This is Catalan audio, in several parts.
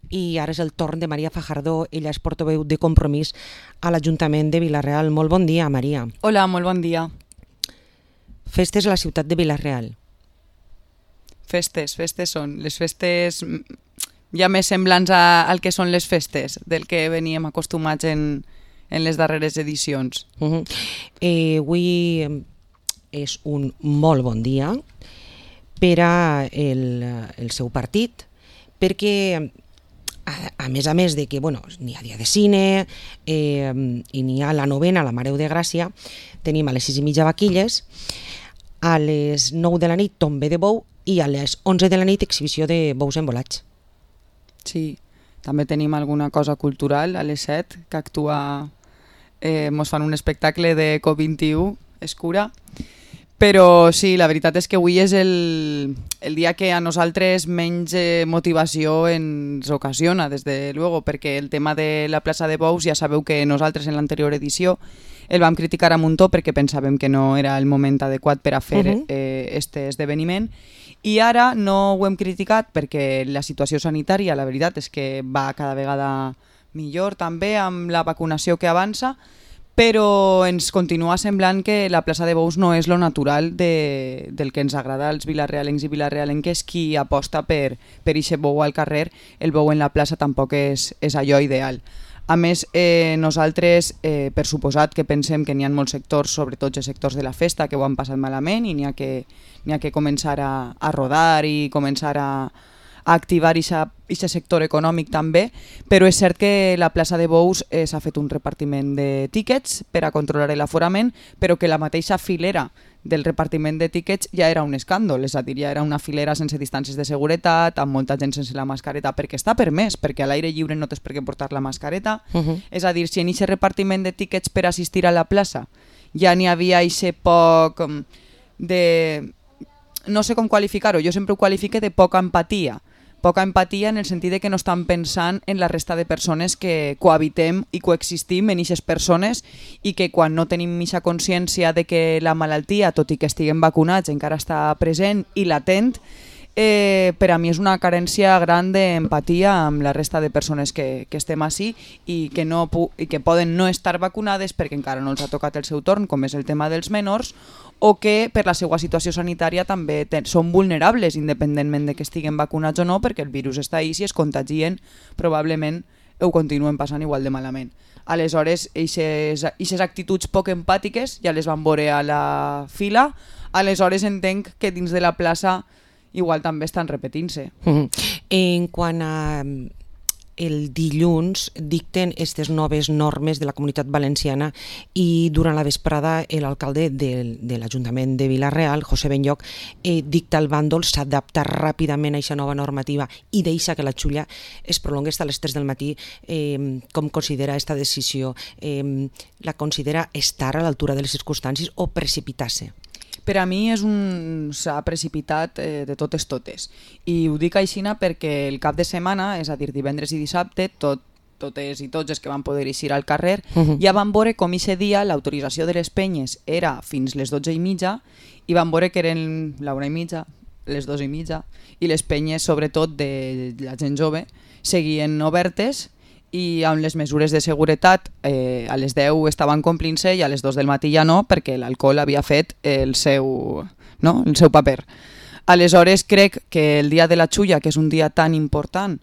i ara és el torn de Maria Fajardo. Ella és portaveu de Compromís a l'Ajuntament de Vila-real. Molt bon dia, Maria. Hola, molt bon dia. Festes a la ciutat de Vila-real. Festes són les festes ja més semblants al que són les festes, del que veníem acostumats en les darreres edicions. Avui és un molt bon dia per al seu partit, perquè a més de que n'hi ha dia de cine i n'hi ha la novena, la Mare de Gràcia, tenim a les 6:30 vaquilles, a les 9 de la nit tombe de bou i a les 11 de la nit exhibició de bous embolats. Sí, també tenim alguna cosa cultural a les 7 que actua, mos fan un espectacle de COP21, Escura. Però sí, la veritat és que avui és el dia que a nosaltres menys motivació ens ocasiona, des de luego, perquè el tema de la plaça de bous ja sabeu que nosaltres en l'anterior edició el vam criticar a muntó perquè pensàvem que no era el moment adequat per a fer este esdeveniment, i ara no ho hem criticat perquè la situació sanitària, la veritat és que va cada vegada millor també amb la vacunació que avança, però ens continua semblant que la plaça de bous no és lo natural del que ens agrada als vilarealencs i vilarealenques. Qui aposta per ixe bou al carrer, el bou en la plaça tampoc és allò ideal. A més, nosaltres, per suposat que pensem que n'hi ha molts sectors, sobretot els sectors de la festa, que ho han passat malament i n'hi ha que començar a rodar i començar a activar aquest sector econòmic també, però és cert que la plaça de bous s'ha fet un repartiment de tíquets per a controlar l'aforament, però que la mateixa filera del repartiment de tíquets ja era un escàndol, és a dir, ja era una filera sense distàncies de seguretat, amb molta gent sense la mascareta, perquè està permès, perquè a l'aire lliure no tens per què portar la mascareta. És a dir, si en aquest repartiment de tíquets per assistir a la plaça ja n'hi havia aquest poc de... no sé com qualificar-ho, jo sempre ho qualifique de poca empatia en el sentit de que no estan pensant en la resta de persones que cohabitem i coexistim en aquestes persones, i que quan no tenim aquesta consciència de que la malaltia, tot i que estiguem vacunats, encara està present i latent, per a mi és una carència gran d'empatia amb la resta de persones que estem així i que poden no estar vacunades perquè encara no els ha tocat el seu torn, com és el tema dels menors, o que per la seva situació sanitària també són vulnerables independentment de que estiguen vacunats o no, perquè el virus està ahí, si es contagien probablement ho continuen passant igual de malament. Aleshores, aquestes actituds poc empàtiques ja les van veure a la fila, aleshores entenc que dins de la plaça igual també estan repetint-se. En quant a el dilluns dicten aquestes noves normes de la Comunitat Valenciana i durant la vesprada l'alcalde de l'Ajuntament de Vila-real, José Benlloch, dicta el bàndol, s'adapta ràpidament a aquesta nova normativa i deixa que la xulla es prolongui fins a les 3 del matí. Com considera aquesta decisió? La considera estar a l'altura de les circumstàncies o precipitar-se? Per a mi s'ha precipitat de totes. I ho dic així perquè el cap de setmana, és a dir, divendres i dissabte, totes i tots els que van poder eixir al carrer, ja van veure com aquest dia l'autorització de les penyes era fins les 12:30 i van veure que eren l'1:30, les 2:30, i les penyes, sobretot de la gent jove, seguien obertes i amb les mesures de seguretat a les 10 estaven complint-se i a les 2 del matí ja no, perquè l'alcohol havia fet el seu paper. Aleshores crec que el dia de la xulla, que és un dia tan important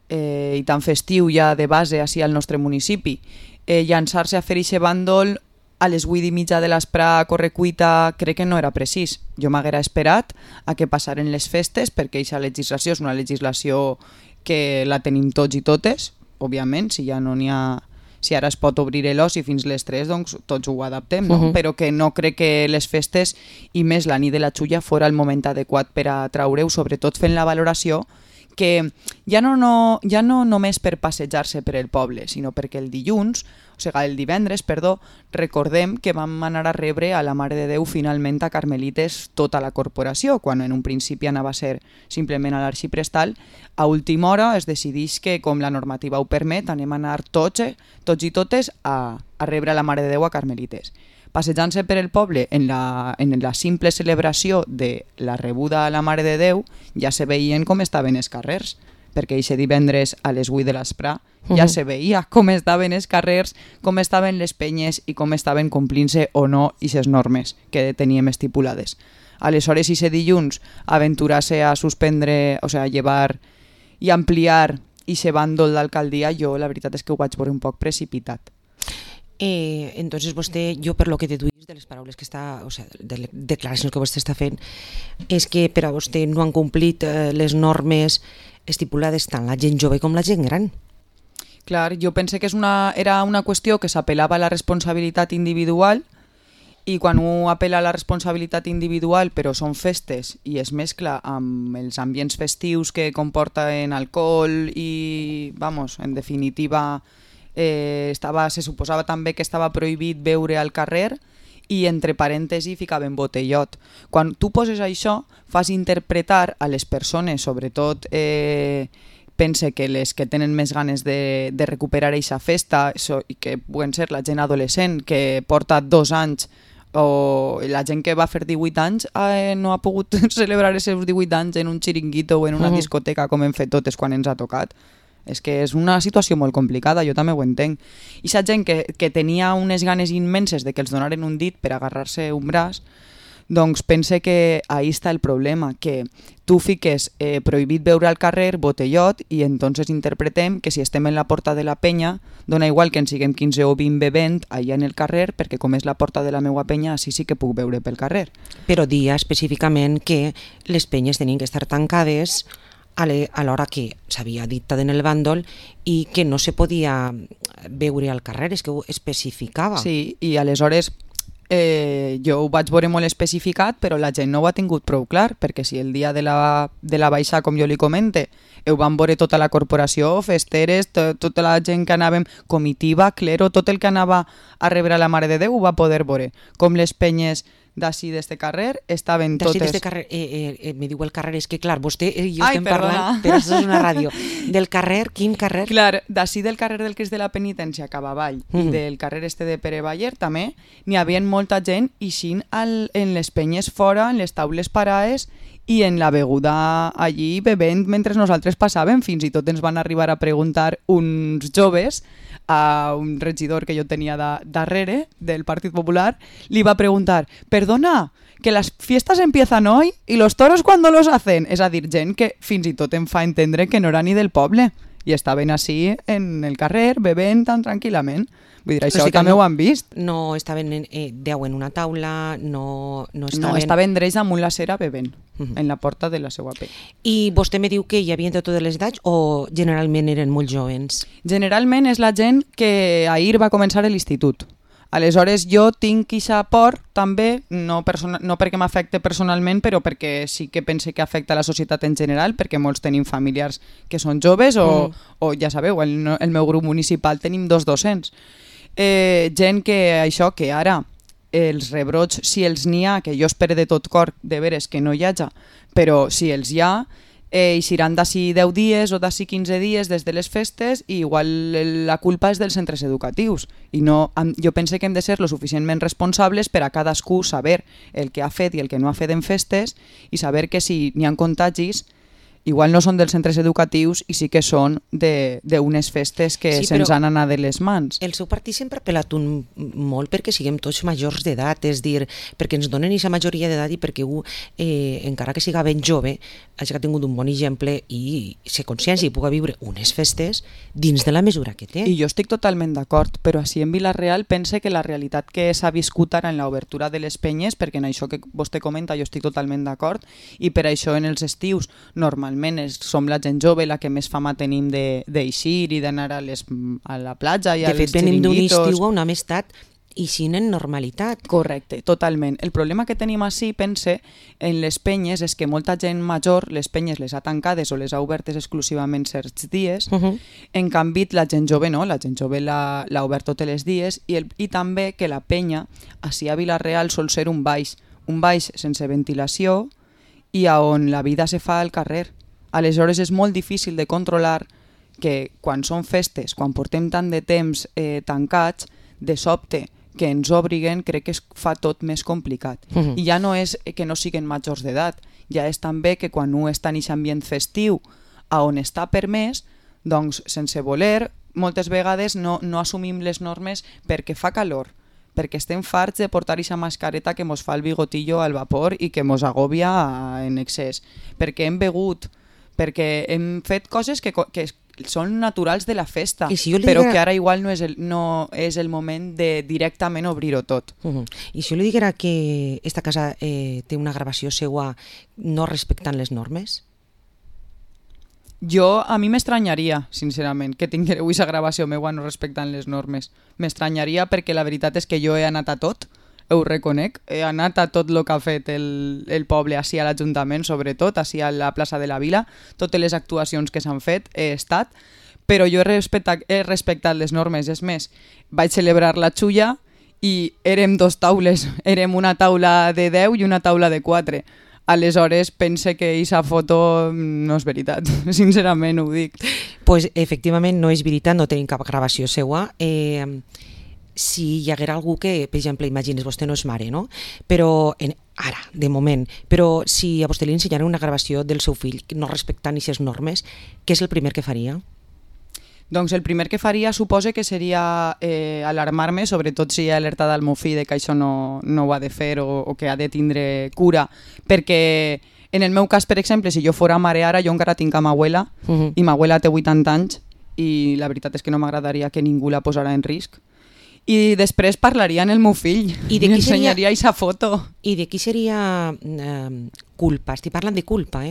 i tan festiu ja de base així al nostre municipi, llançar-se a fer aquest bàndol a les 8:30 de l'esprà a correcuita crec que no era precís. Jo m'haguera esperat a que passaren les festes, perquè aquesta legislació és una legislació que la tenim tots i totes, òbviament, si ja no n'hi ha, si ara es pot obrir l'oci fins les 3, doncs tots ho adaptem, no? Però que no crec que les festes, i més la nit de la xulla, fora el moment adequat per a traure-ho, sobretot fent la valoració que ja no només per passejar-se per el poble, sinó perquè el divendres, recordem que vam anar a rebre a la Mare de Déu finalment a Carmelites tota la corporació, quan en un principi anava a ser simplement a l'arxiprestal. A última hora es decideix que, com la normativa ho permet, anem a anar tots i totes a rebre a la Mare de Déu a Carmelites. Passejant-se per el poble en la simple celebració de la rebuda a la Mare de Déu, ja se veien com estaven els carrers, perquè aquest divendres a les 8 de l'Aspra ja se veia com estaven els carrers, com estaven les penyes i com estaven complint-se o no aquestes normes que teníem estipulades. Aleshores, aquest dilluns, aventurar-se a suspendre, o sigui, a llevar i ampliar aquest bàndol d'alcaldia, jo la veritat és que ho vaig veure un poc precipitat. Entonces vostè, jo per lo que deduïs de les paraules que està, o sigui, de les declaracions que vostè està fent, és que per a vostè no han complit les normes estipulades tant la gent jove com la gent gran. Clar, jo pense que era una qüestió que s'apel·lava a la responsabilitat individual, i quan un apel·la a la responsabilitat individual però són festes i es mescla amb els ambients festius que comporten alcohol i, vamos, en definitiva, se suposava també que estava prohibit beure al carrer i entre parèntesi ficaven botellot. Quan tu poses això, fas interpretar a les persones, sobretot pense que les que tenen més ganes de recuperar aquesta festa, i que poden ser la gent adolescent que porta 2 anys, o la gent que va fer 18 anys no ha pogut celebrar els seus 18 anys en un xiringuito o en una discoteca com hem fet totes quan ens ha tocat. És que és una situació molt complicada, jo també ho entenc. I la gent que tenia unes ganes immenses de que els donaren un dit per agarrar-se un braç, doncs pense que ahí està el problema, que tu fiques prohibit beure al carrer, botellot, i entonces interpretem que si estem en la porta de la penya, dona igual que en siguem 15 o 20 bevent allà en el carrer, perquè com és la porta de la meua penya, així sí que puc beure pel carrer. Però dia específicament que les penyes tenien que estar tancades a l'hora que s'havia dictat en el bàndol i que no se podia beure al carrer, és que ho especificava. Sí, i aleshores jo ho vaig veure molt especificat, però la gent no ho ha tingut prou clar, perquè si el dia de la baixa, com jo li comente, ho van veure tota la corporació, festeres, tota la gent que anàvem, comitiva, clero, tot el que anava a rebre la Mare de Déu ho va poder veure, com les penyes d'ací d'este carrer estaven totes... D'ací d'este carrer, me diu el carrer, és que clar, vostè i jo estem parlant, però això és una ràdio, del carrer, quin carrer? Clar, d'ací del carrer del Crist de la Penitència cap avall i del carrer este de Pere Baller també n'hi havia molta gent ixint en les penyes fora, en les taules parades i en la beguda allí bevent mentre nosaltres passàvem. Fins i tot ens van arribar a preguntar uns joves a un regidor que jo tenia darrere del Partit Popular, li va preguntar, perdona, que las fiestas empiezan hoy y los toros cuando los hacen. És a dir, gent que fins i tot em fa entendre que no era ni del poble i estaven així en el carrer bevent tan tranquil·lament. Vull dir, això també ho han vist. No estaven 10 en una taula, no estaven... No, estaven drets damunt la cera bevent, en la porta de la seva pell. I vostè me diu que hi havia de totes les edats o generalment eren molt jovens? Generalment és la gent que ahir va començar a l'institut. Aleshores jo tinc aquesta por també, no perquè m'afecte personalment, però perquè sí que pense que afecta a la societat en general, perquè molts tenim familiars que són joves o ja sabeu, el meu grup municipal tenim 2 docents. Gent que això, que ara els rebrots, si els n'hi ha, que jo espero de tot cor de veres que no hi haja, però si els hi ha, eixiran d'ací 10 dies o d'ací 15 dies des de les festes i igual la culpa és dels centres educatius i no, jo pense que hem de ser lo suficientment responsables per a cadascú saber el que ha fet i el que no ha fet en festes i saber que si n'hi ha contagis igual no són dels centres educatius i sí que són d'unes festes que se'ns han anat de les mans. El seu partit sempre ha apel·lat molt perquè siguem tots majors d'edat, és dir, perquè ens donen aquesta majoria d'edat i perquè encara que siga ben jove, hagi tingut un bon exemple i ser consciència i pugui viure unes festes dins de la mesura que té. I jo estic totalment d'acord, però així en Vila-real pense que la realitat que s'ha viscut ara en l'obertura de les penyes, perquè en això que vostè comenta jo estic totalment d'acord, i per això en els estius normalment som la gent jove la que més fama tenim d'eixir i d'anar a la platja i als xiringuitos. De fet, venim d'un estiu a una amistat eixint en normalitat. Correcte, totalment. El problema que tenim així, pense, en les penyes és que molta gent major, les penyes les ha tancades o les ha obertes exclusivament certs dies, en canvi la gent jove no, la gent jove l'ha obert tots els dies i també que la penya, així a Vila-real, sol ser un baix sense ventilació i on la vida se fa al carrer. Aleshores és molt difícil de controlar que quan són festes, quan portem tant de temps tancats, de sobte que ens obriguen, crec que es fa tot més complicat. I ja no és que no siguin majors d'edat, ja és també que quan un està en aquest ambient festiu, a on està permès, doncs sense voler, moltes vegades no assumim les normes perquè fa calor, perquè estem farts de portar aquesta mascareta que mos fa el bigotillo al vapor i que mos agòbia en excés, perquè hem begut, perquè hem fet coses que són naturals de la festa, però que ara igual no és el moment de directament obrir-ho tot. I si jo li diguera que esta casa té una gravació seua no respectant les normes? A mi m'estranyaria, sincerament, que tinguereu aquesta gravació meua no respectant les normes. M'estranyaria perquè la veritat és que jo he anat a tot, ho reconec, he anat a tot el que ha fet el poble, així a l'Ajuntament, sobretot, així a la plaça de la Vila, totes les actuacions que s'han fet he estat, però jo he respectat les normes. És més, vaig celebrar la xulla i érem 2 taules, érem una taula de 10 i una taula de 4. Aleshores pense que aquesta foto no és veritat, sincerament ho dic. Pues efectivament no és veritat, no tenim cap gravació seua. Si hi haguera algú que, per exemple, imagines, vostè no és mare, no? Però ara, de moment, però si a vostè li ensenyara una gravació del seu fill no respectant aquestes normes, què és el primer que faria? Doncs el primer que faria suposa que seria alarmar-me, sobretot si he alertat al meu fill de que això no ho ha de fer o que ha de tindre cura, perquè en el meu cas, per exemple, si jo fora mare ara, jo encara tinc a ma abuela i ma abuela té 80 anys i la veritat és que no m'agradaria que ningú la posara en risc. I després parlaria amb el meu fill i ensenyaria aquesta foto. I de qui seria culpa? Estic parlant de culpa,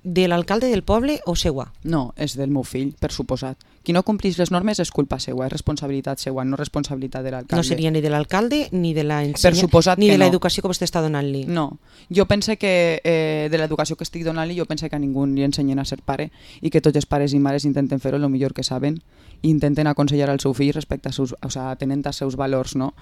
de l'alcalde del poble o seua? No, és del meu fill, per suposat. Qui no complís les normes és culpa seua, és responsabilitat seua, no responsabilitat de l'alcalde. No seria ni de l'alcalde ni de ni de l'educació que vostè està donant-li? No, jo pense que de l'educació que estic donant-li, jo pense que a ningú li ensenyen a ser pare i que tots els pares i mares intenten fer-ho el millor que saben i intenten aconsellar al seu fill respecte atenent als seus valors, no?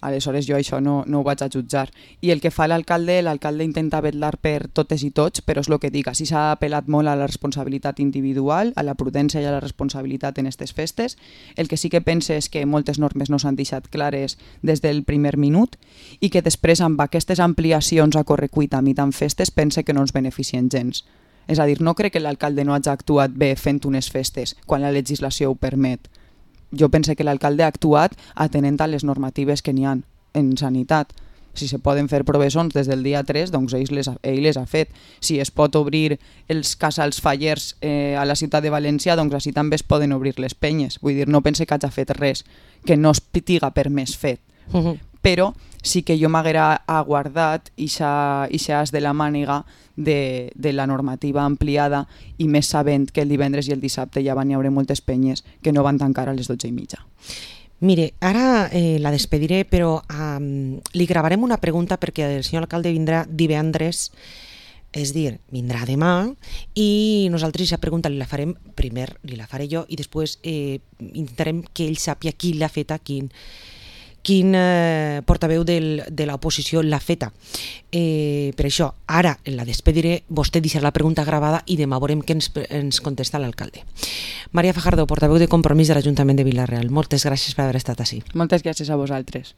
Aleshores jo això no ho vaig a jutjar. I el que fa l'alcalde intenta vetllar per totes i tots, però és el que dic, així s'ha apel·lat molt a la responsabilitat individual, a la prudència i a la responsabilitat en aquestes festes. El que sí que pense és que moltes normes no s'han deixat clares des del primer minut i que després amb aquestes ampliacions a correcuita a mitant festes pense que no ens beneficien gens. És a dir, no crec que l'alcalde no hagi actuat bé fent unes festes quan la legislació ho permet. Jo pense que l'alcalde ha actuat atenent a les normatives que n'hi ha en sanitat. Si se poden fer provessons des del dia 3, doncs ell les ha fet. Si es pot obrir els casals fallers a la ciutat de València, doncs així també es poden obrir les penyes. Vull dir, no pense que hagi fet res que no es tiga per més fet. Però sí que jo m'haguera aguardat ixa as de la màniga de la normativa ampliada i més sabent que el divendres i el dissabte ja van hi haure moltes penyes que no van tancar a les 12:30. Mire, ara la despediré, però li gravarem una pregunta perquè el senyor alcalde vindrà divendres, és dir, vindrà demà i nosaltres aquesta pregunta li la farem, primer li la faré jo i després intentarem que ell sàpia qui l'ha feta, quin portaveu de l'oposició l'ha feta. Per això, ara la despediré, vostè deixarà la pregunta gravada i demà veurem què ens contesta l'alcalde. Maria Fajardo, portaveu de Compromís de l'Ajuntament de Vila-real. Moltes gràcies per haver estat ací. Moltes gràcies a vosaltres.